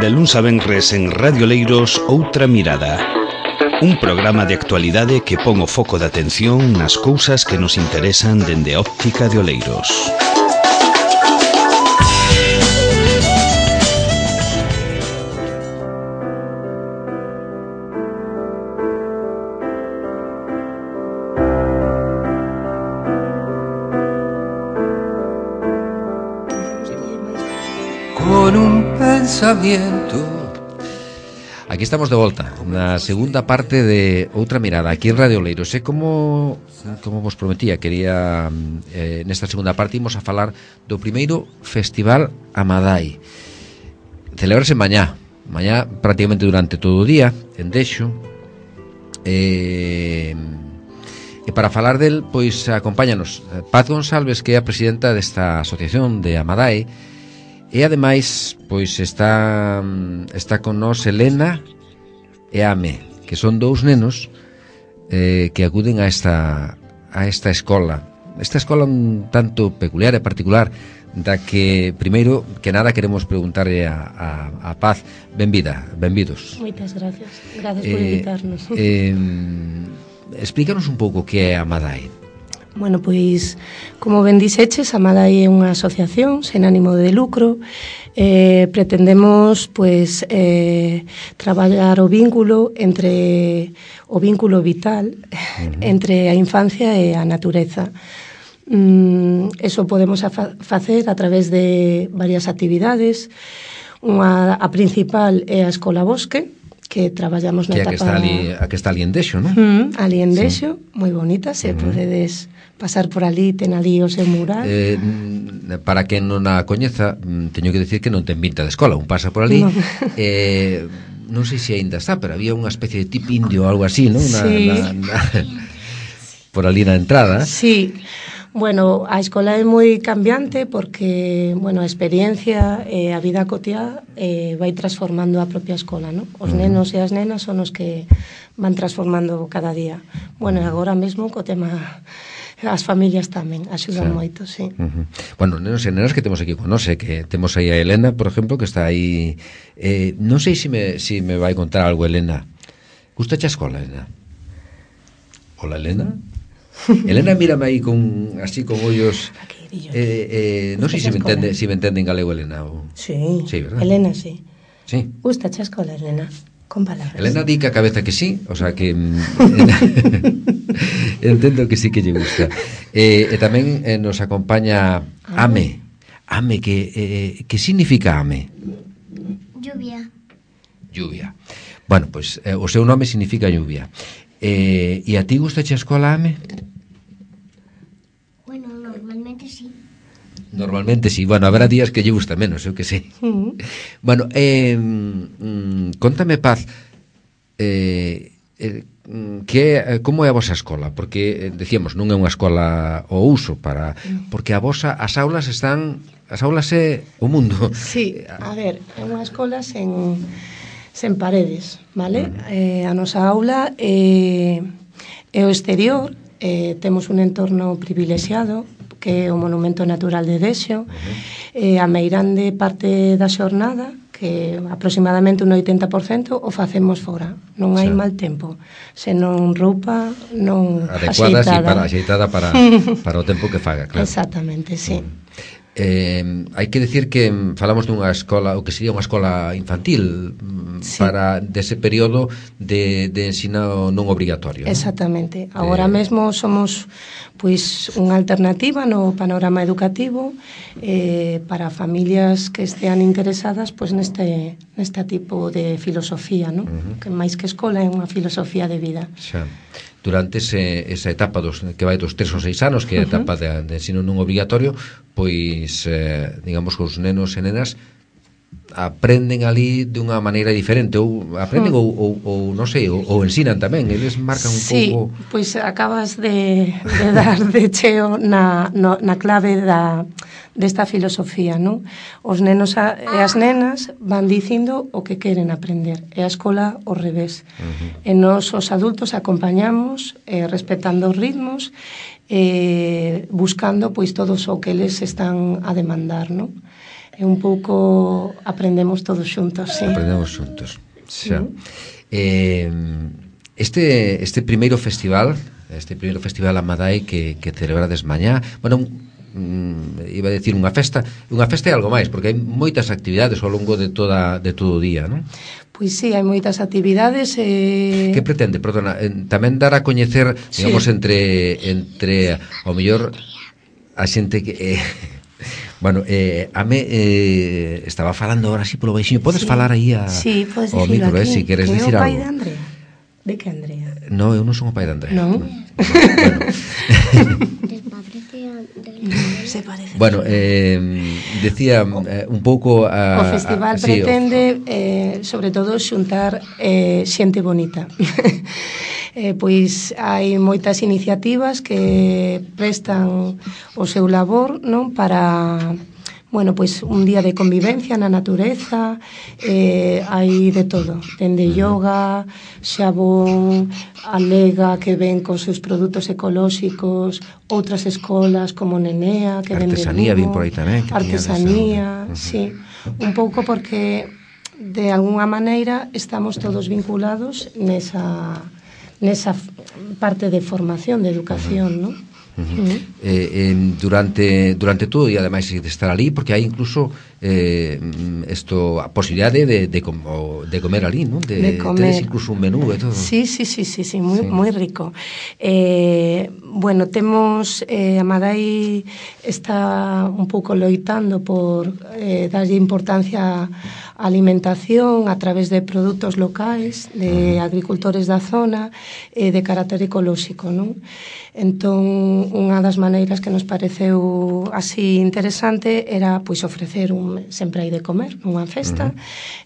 De luns a venres en Radio Leiros, Outra Mirada. Un programa de actualidade que pon o foco de atención nas cousas que nos interesan dende a óptica de Oleiros. Con un pensamiento. Aquí estamos de volta na segunda parte de Outra Mirada aquí en Radio Oleiros. Como vos prometía, quería nesta segunda parte imos a falar do primeiro Festival Amadai. Celebrase mañá prácticamente durante todo o día en Dexo. E para falar del, pois acompáñanos Paz González, que é a presidenta desta asociación de Amadai. E ademais, pois está con nós Elena e Ame, que son dous nenos que acuden a esta escola. Esta escola un tanto peculiar e particular, da que, primeiro que nada, queremos preguntarle a Paz. Benvidos. Moitas gracias. Gracias por invitarnos. Explícanos un pouco que é Amadai. Bueno, pois, como ben dixeches, Amadai é unha asociación sen ánimo de lucro. Pretendemos, pois, traballar o vínculo vital entre a infancia e a natureza. Eso podemos facer a través de varias actividades. A principal é a Escola Bosque, que traballamos na etapa... Que está ali en Dexo, non? Ali en Dexo, moi bonita, se podedes pasar por ali, ten ali o seu mural. Para quen non a coñeza, teño que decir que non ten pinta de escola, un pasa por ali. Non sei se aínda está, pero había unha especie de tip indio ou algo así, non? Sí. Por ali na entrada. Sí. Bueno, a escola é moi cambiante porque, bueno, a experiencia e a vida cotiá vai transformando a propia escola, non? Os nenos e as nenas son os que van transformando cada día. Bueno, e agora mesmo co tema, as familias tamén axudan moito, sí. Bueno, nenos e nenas que temos aquí con nós, que temos aí a Elena, por exemplo, que está aí. Non sei se me vai contar algo, Elena. Gustache a escola, Elena? Hola, Elena. Elena, mírame aí así con ollos. Non sei se me entende en galego, Elena. Sí, ¿verdad? Elena, sí. Sí. Gustache a escola, Elena? Con palabras. Elena di que a cabeza que sí, o sea que entendo que sí que lle gusta. E tamén nos acompaña Ame. Ame, que significa Ame? Lluvia. Bueno, pois o seu nome significa lluvia. E a ti gustache a escola, Ame? Bueno, normalmente sí. Normalmente sí, bueno, habrá días que lle gusta menos, eu que sei. Bueno, contame, Paz, como é a vosa escola? Porque, decíamos, non é unha escola ao uso porque as aulas é o mundo. Sí, a ver, é unha escola sen paredes, vale? A nosa aula é o exterior, temos un entorno privilexiado, que é o Monumento Natural de Dexo, a meirande parte da xornada, que aproximadamente un 80%, o facemos fora. Non hai mal tempo, senón roupa non axeitada para o tempo que faga, claro. Exactamente, sí. Hai que decir que falamos dunha escola, o que sería unha escola infantil, para dese período de ensino non obrigatorio. Exactamente. Agora mesmo somos pois unha alternativa no panorama educativo para familias que estean interesadas pois neste tipo de filosofía, non? Que máis que escola é unha filosofía de vida. Xa. Durante esa etapa que vai dos 3 ou 6 anos, que é a etapa de ensino non obrigatorio, pois, digamos, que os nenos e nenas aprenden ali de unha maneira diferente, ou aprenden ou non sei, ou ensinan tamén, eles marcan un pouco... Sí, pois acabas de dar de cheo na clave desta filosofía, non? Os nenos e as nenas van dicindo o que queren aprender, e a escola ao revés. E nós, os adultos, acompañamos, respetando os ritmos, buscando pois todos o que eles están a demandar, non? E un pouco aprendemos todos xuntos, sí. Aprendemos xuntos, xa. Este primeiro festival Amadai que celebrades mañá, bueno, iba a decir unha festa é algo máis, porque hai moitas actividades ao longo de todo o día, non? Pois sí, hai moitas actividades. Que pretende, perdona, tamén dar a coñecer, digamos, entre ao mellor a xente que bueno, a me estaba falando ahora así polo baixinho. Podes falar aí sí, podes ao micro, si queres dicir algo. Que é o pai de Andrea? De que Andrea? No, eu non son o pai de Andrea. Non? Bueno. Se parece. Bueno, decía un pouco o festival pretende sobre todo xuntar xente bonita. Pois hai moitas iniciativas que prestan o seu labor, non, para bueno, pois un día de convivencia na natureza, hai de todo, dende yoga, xabón, a lega que ven cos seus produtos ecolóxicos, outras escolas como Nenea, que ven de artesanía, Lugo, vin por aí tamén, artesanía, sí, un pouco porque de alguna maneira estamos todos vinculados nesa parte de formación, de educación, non? Durante todo e ademais de estar ali, porque hai incluso a posibilidade de comer ali, non? De comer. Tedes incluso un menú e todo. Sí, moi rico. Bueno, temos Amadai está un pouco loitando por darlle importancia á alimentación a través de produtos locais, de agricultores da zona, de carácter ecolóxico, non? Entón, unha das maneiras que nos pareceu así interesante era pois ofrecer sempre hai de comer nunha festa.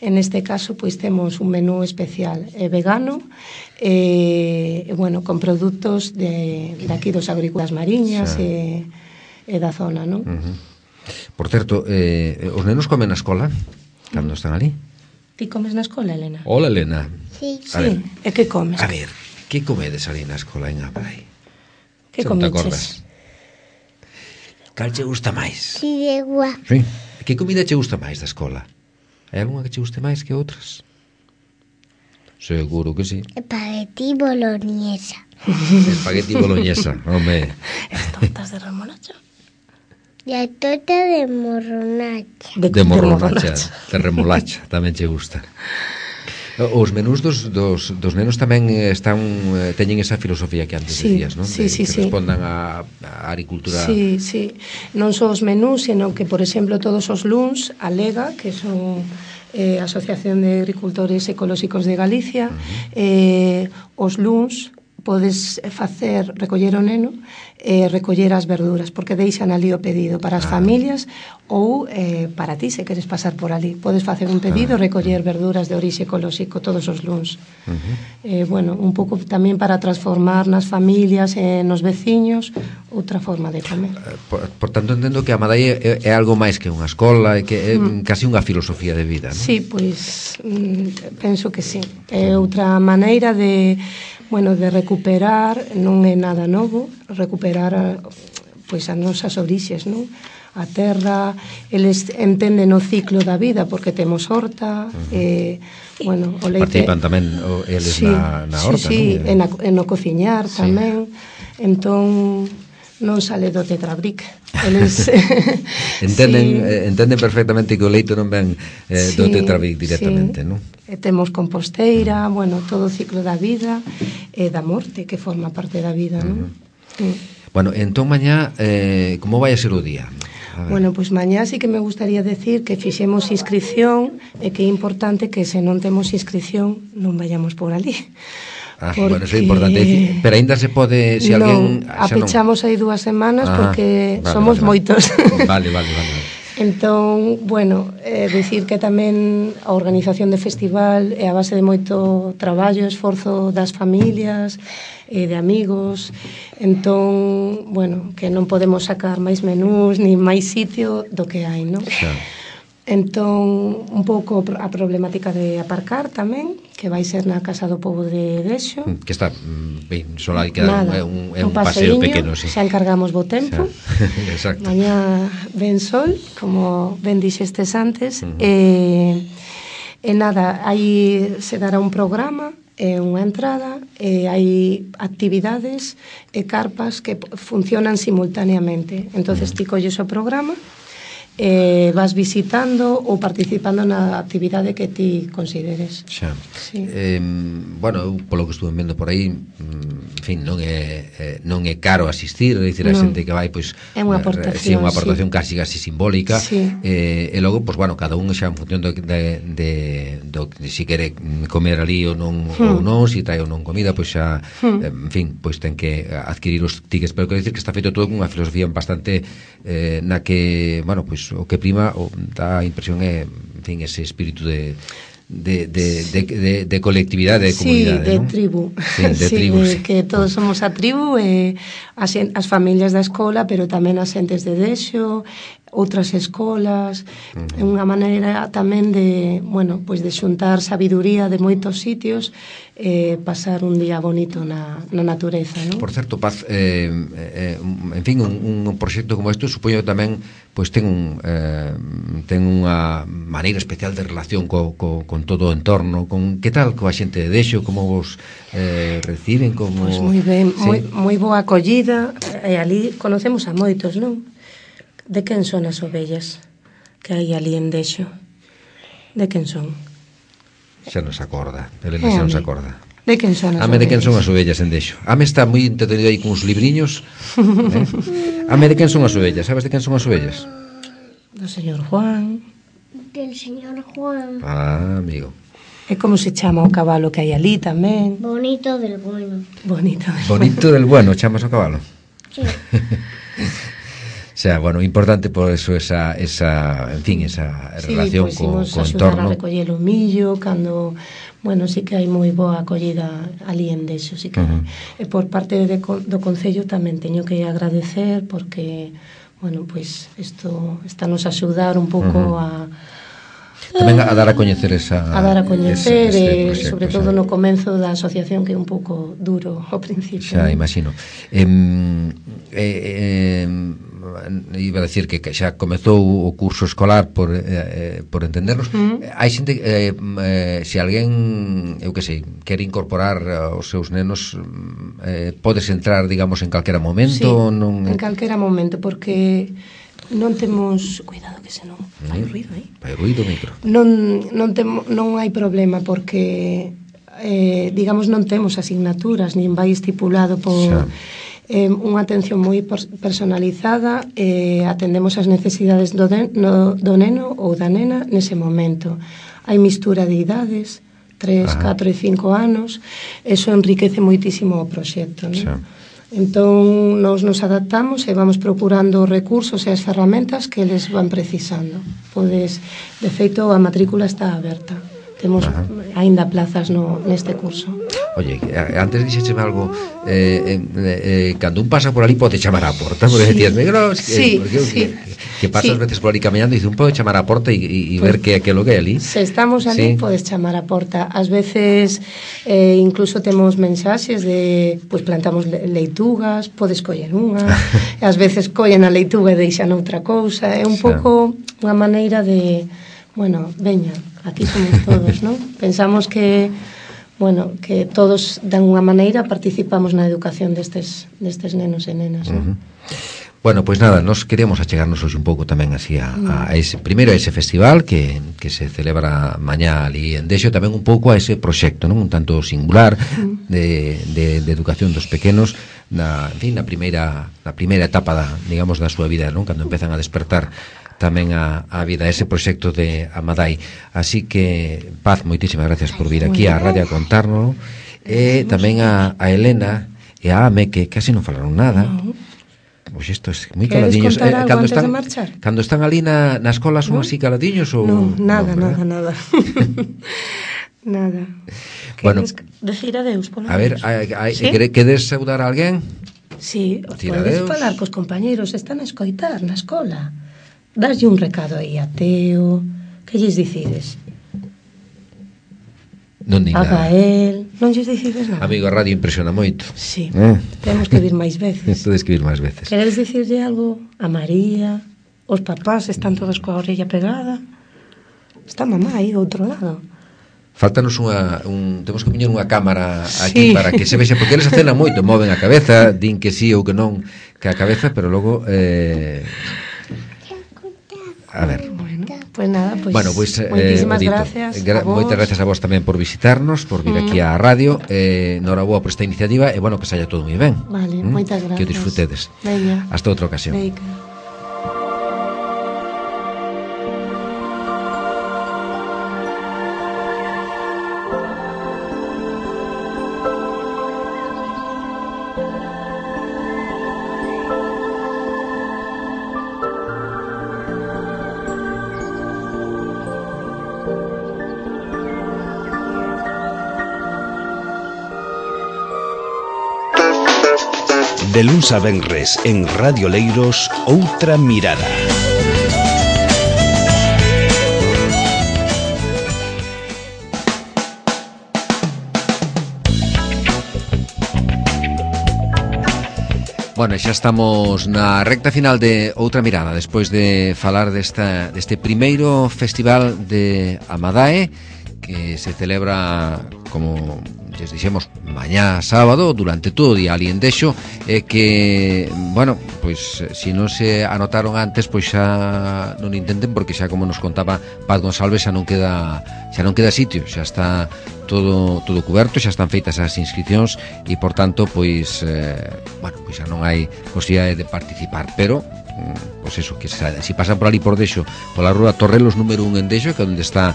En este caso, pois temos un menú especial vegano, bueno, con produtos de aquí dos agricultores mariñas e da zona, non? Por certo, os nenos comen na escola cando están ali? Ti comes na escola, Elena? Hola, Elena. Sí. Sí, e que comes? A ver, que comedes ali na escola en Amadai? Que comeches? Cal che gusta máis? Fideuá. Sí. Que comida che gusta máis da escola? Hai algunha que che guste máis que outras? Seguro que sí. Espagueti boloñesa. Espagueti boloñesa, home. As tortas de remolacha? E a torta de morronacha. De morronacha, de remolacha, tamén che gusta. Os menús dos nenos tamén teñen esa filosofía que antes decías, non? Sí. Que respondan á agricultura. Sí. Non só os menús, senón que, por exemplo, todos os luns, a Lega, que son Asociación de Agricultores Ecolóxicos de Galicia, os luns podes recoller o neno e recoller as verduras, porque deixan ali o pedido para as familias ou para ti, se queres pasar por ali. Podes facer un pedido, recoller verduras de orixe ecolóxico todos os luns. Bueno, un pouco tamén para transformar nas familias e nos veciños outra forma de comer. Por tanto, entendo que Amadai é algo máis que unha escola, e que é casi unha filosofía de vida, non? Sí, pois penso que sí. É outra maneira de recuperar, non é nada novo, recuperar pois as nosas orixes, non? A terra, eles entenden o ciclo da vida porque temos horta, bueno, o leite. Participan tamén eles na horta, sí, non? E no cociñar tamén. Entón non sale do tetrabric. Eles entenden perfectamente que o leite non ven do tetrabric directamente, non? E temos composteira, bueno, todo o ciclo da vida e da morte que forma parte da vida, non? Bueno, entón mañá como vai a ser o día? Bueno, pois mañá sí que me gustaría decir que fixemos inscripción e que é importante que se non temos inscripción non vayamos por ali. Bueno, eso é importante, pero aínda se pode, se alguén apechamos aí 2 semanas porque somos moitos. Vale. Entón, bueno, dicir que tamén a organización do festival é a base de moito traballo, esforzo das familias e de amigos. Entón, bueno, que non podemos sacar máis menús ni máis sitio do que hai, non? Entón, un pouco a problemática de aparcar tamén, que vai ser na Casa do Pobo de Dexo. Que está, ben, só hai que dar un paseo pequeno, sí. Xa encargamos bo tempo. Exacto. Mañá ven sol, como ben dixestes antes, e nada, aí se dará un programa, unha entrada, hai actividades e carpas que funcionan simultaneamente. Entonces ti colles o programa, vas visitando ou participando na actividade que ti consideres. Xa. Sí. Bueno, eu polo que estuve vendo por aí, en fin, non é caro asistir, é dicir, a xente que vai, pois é unha aportación, unha aportación casi simbólica, sí. E logo, pois bueno, cada un xa en función do que si quere comer ali ou non, si trae ou non comida, pois xa, en fin, pois ten que adquirir os tickets, pero quero dicir que está feito todo con unha filosofía bastante na que, bueno, pois o que prima dá a impresión é, en fin, ese espírito de colectividade, de comunidade, de ¿no? tribu. Sí, de tribu, sí. Que todos somos a tribu, as familias da escola, pero tamén as xentes de Dexo, outras escolas, é unha maneira tamén de, bueno, pois de xuntar sabiduría de moitos sitios, pasar un día bonito na natureza, ¿no? Por certo, Paz, en fin, un proxecto como este supoño tamén pois ten unha maneira especial de relación con todo o entorno, con que tal coa xente de Dexo, como vos reciben, como... Pois moi ben, sí. moi boa acollida, e ali conocemos a moitos, non? De quen son as ovellas que hai ali en Dexo? De quen son? Xa nos acorda, Elena xa nos acorda. De quen son as ovellas? De quen son as ovellas en Dexo. Está moi entretenido aí con uns libriños. De quen son as ovellas? Sabes de quen son as ovellas? Do señor Juan. Del señor Juan. Amigo. E como se chama o cabalo que hai ali tamén? Bonito del bueno. Bonito del bueno, chamas o cabalo. Sí. O sea, bueno, importante por eso esa en fin, esa relación pues, co entorno. Sí, axudar a recoller o millo cando, bueno, sí que hai moi boa acollida ali en Dexo, sí que e por parte do Concello tamén teño que agradecer porque, bueno, pues isto nos a axudar un pouco tamén a dar a coñecer a dar a coñecer proxecto, sobre todo no comenzo da asociación, que é un pouco duro ao principio. Xa, imagino. Iba a decir que xa comezou o curso escolar por entendernos. Hai xente, se alguén, eu que sei, quere incorporar os seus nenos, podes entrar, digamos, en calquera momento? Sí, en calquera momento, porque non temos... Cuidado que senón fai ruido, Fai ruido o micro. Non hai problema, porque digamos, non temos asignaturas, nin vai estipulado por... unha atención moi personalizada, atendemos as necesidades do neno ou da nena nese momento. Hai mistura de idades, 3, 4 e 5 anos, eso enriquece moitísimo o proxecto, non? Entón, nos adaptamos e vamos procurando os recursos e as ferramentas que eles van precisando. Podes, de feito, a matrícula está aberta. Temos aínda plazas neste curso. Oye, antes dixécheme algo, cando un pasa por ali pode chamar á porta, porque decías, que pasas veces por ali camiñando e dice, un pode chamar á porta e ver que aquilo que é ali. Se estamos ali, podes chamar á porta. Ás veces, incluso temos mensaxes de, pois plantamos leitugas, podes coller unha, ás veces collen a leituga e deixan outra cousa. É un pouco unha maneira de, bueno, veña, aquí somos todos, non? Pensamos que, bueno, que todos dan unha maneira participamos na educación destes nenos e nenas, non? Bueno, pois nada, nos queríamos achegarnos hoxe un pouco tamén así a ese, primeiro a ese festival que se celebra mañá ali en Dexo, tamén un pouco a ese proxecto, non? Un tanto singular de educación dos pequenos en fin, na primeira etapa digamos, da súa vida, non? Cando empezan a despertar tamén a vida, ese proxecto de Amadai. Así que, Paz, moitísimas gracias por vir aquí á radio a contarnos, e tamén a Elena e a Ame, que casi non falaron nada. Pois isto é moi caladiños. Cando están ali na escola son así caladiños ou non, nada. Nada. Queres decir adeus polo menos? A ver, queres saudar a alguén? Sí, podes falar cos compañeros, están a escoitar na escola. daslle un recado aí a Teo, que lles dicides? Non di A nada. Gael, non lles dicides nada? Amigo, a radio impresiona moito. Sí, temos que vir máis veces. Tedes que vir máis veces. Queredes dicirlle algo a María? Os papás están todos coa orella pegada? Está mamá aí do outro lado. Faltanos temos que poñer unha cámara aquí Sí. para que se vexa, porque eles acenan moito, moven a cabeza, din que sí ou que non que a cabeza, pero logo a ver. Bueno, pues nada, pues, Bueno, pois moitísimas Odito, gracias a vos. moitas gracias a vos tamén por visitarnos, por vir aquí á radio, noraboa por esta iniciativa e bueno, que saia todo moi ben. Vale, moitas gracias. Que o disfrutedes. Veña. Hasta outra ocasión. Veica. De luns a venres en Radio Leiros, Outra Mirada. Bueno, xa estamos na recta final de Outra Mirada, despois de falar deste primeiro festival de Amadae, que se celebra, como lles dixemos, mañá sábado, durante todo o día ali en Dexo, e que, bueno, pois se non se anotaron antes, pois xa non intenten, porque xa como nos contaba Paz González, xa non queda sitio, xa está todo cuberto, xa están feitas as inscripcións e, por tanto, pois bueno, pois xa non hai posibilidade de participar, pero pois eso, que se pasan por ali por Dexo, pola rúa Torrelos número 1 en Dexo, que é onde está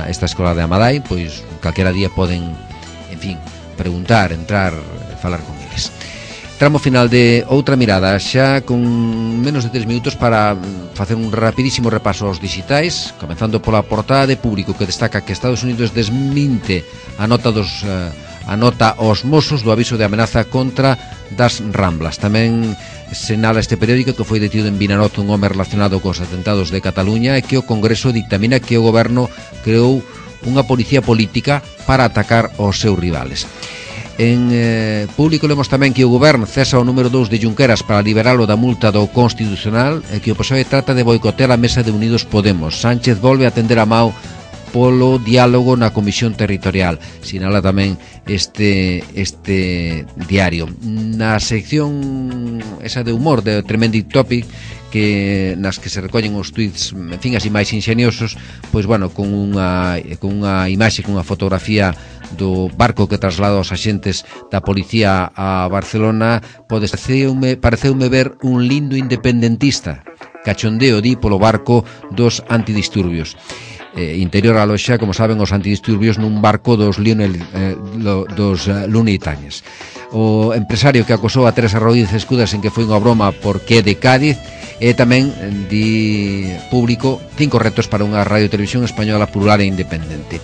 esta escola de Amadai, pois calquera día poden, en fin, preguntar, entrar, falar con eles. Tramo final de Outra Mirada, xa con menos de 3 minutos para facer un rapidísimo repaso aos digitais, comenzando pola portada de Público, que destaca que Estados Unidos desminte a nota aos Mossos do aviso de amenaza contra das Ramblas. Tamén sinala este periódico que foi detido en Vinaroz un home relacionado cos atentados de Cataluña e que o Congreso dictamina que o goberno creou unha policía política para atacar os seus rivales. En Público lemos tamén que o goberno cesa o número 2 de Junqueras para liberalo da multa do Constitucional e que o PSOE trata de boicotear a mesa de Unidos Podemos. Sánchez volve a tender a mao polo diálogo na Comisión Territorial, sinala tamén este diario. Na sección esa de humor de Tremending Topic, que nas que se recollen os tweets, en fin, así máis ingeniosos, pois bueno, con unha imaxe, con unha fotografía do barco que traslada os axentes da policía a Barcelona, pareceume ver un lindo independentista. Cachondeo di polo barco dos antidisturbios. Interior a loxa, como saben, os antidisturbios nun barco dos Looney Tunes. O empresario que acosou a Teresa Rodríguez Escudas en que foi unha broma porque é de Cádiz, e tamén di Público 5 retos para unha radio e televisión española plural e independente.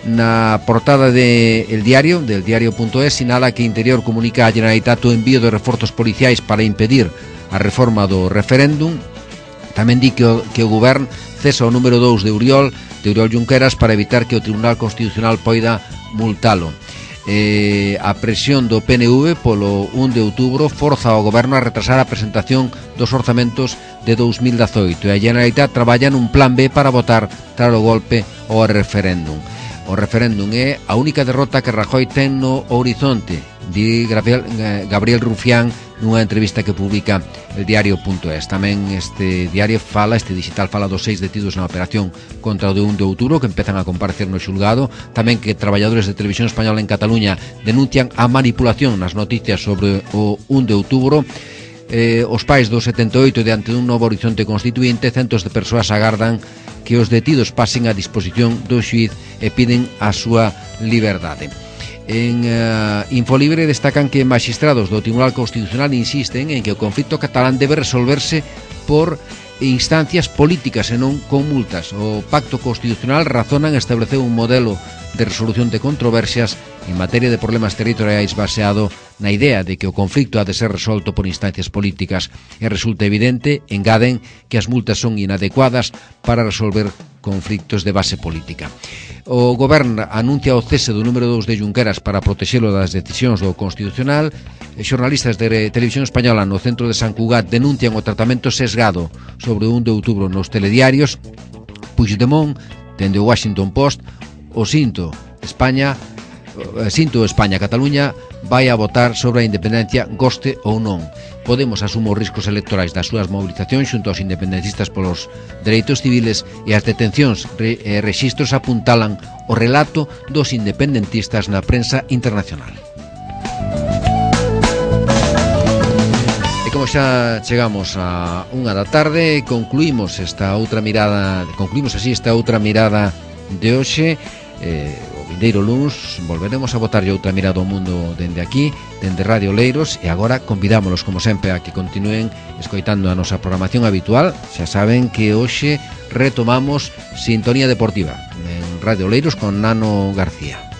Na portada del diario.es, sinala que Interior comunica a Generalitat o envío de reforzos policiais para impedir a reforma do referéndum. Tamén di que o Govern cesa o número 2 de Oriol Junqueras para evitar que o Tribunal Constitucional poida multalo. A presión do PNV polo 1 de outubro forza ao Goberno a retrasar a presentación dos orzamentos de 2018 e a Generalitat traballa nun plan B para votar tras o golpe ao referéndum. O referéndum é a única derrota que Rajoy ten no horizonte, di Gabriel Rufián nunha entrevista que publica el diario.es. Tamén este digital fala dos 6 detidos na operación contra o de 1 de outubro que empezan a comparecer no xulgado. Tamén que traballadores de Televisión Española en Cataluña denuncian a manipulación nas noticias sobre o 1 de outubro. Os pais do 78 diante dun novo horizonte constituinte, centos de persoas agardan que os detidos pasen a disposición do xuíz e piden a súa liberdade. En Infolibre destacan que magistrados do Tribunal Constitucional insisten en que o conflito catalán debe resolverse por instancias políticas e non con multas. O Pacto Constitucional razona en establecer un modelo de resolución de controversias en materia de problemas territoriais baseado na idea de que o conflicto ha de ser resolto por instancias políticas e resulta evidente, engaden, que as multas son inadecuadas para resolver conflictos de base política. O Goberno anuncia o cese do número 2 de Junqueras para protexelo das decisións do Constitucional. Xornalistas de Televisión Española no centro de San Cugat denuncian o tratamento sesgado sobre o 1 de outubro nos telediarios. Puigdemont, dende o Washington Post, o Sinto España-Cataluña vai a votar sobre a independencia, goste ou non. Podemos asume os riscos electorais das súas movilizacións xunto aos independentistas polos dereitos civiles, e as detencións e rexistros apuntalan o relato dos independentistas na prensa internacional. E como xa chegamos a 1 da tarde, concluímos así esta outra mirada de hoxe. O vindeiro luns volveremos a botarlle outra mirada ao mundo dende aquí, dende Radio Oleiros, e agora convidámolos como sempre a que continúen escoitando a nosa programación habitual. Xa saben que hoxe retomamos Sintonía Deportiva en Radio Oleiros con Nano García.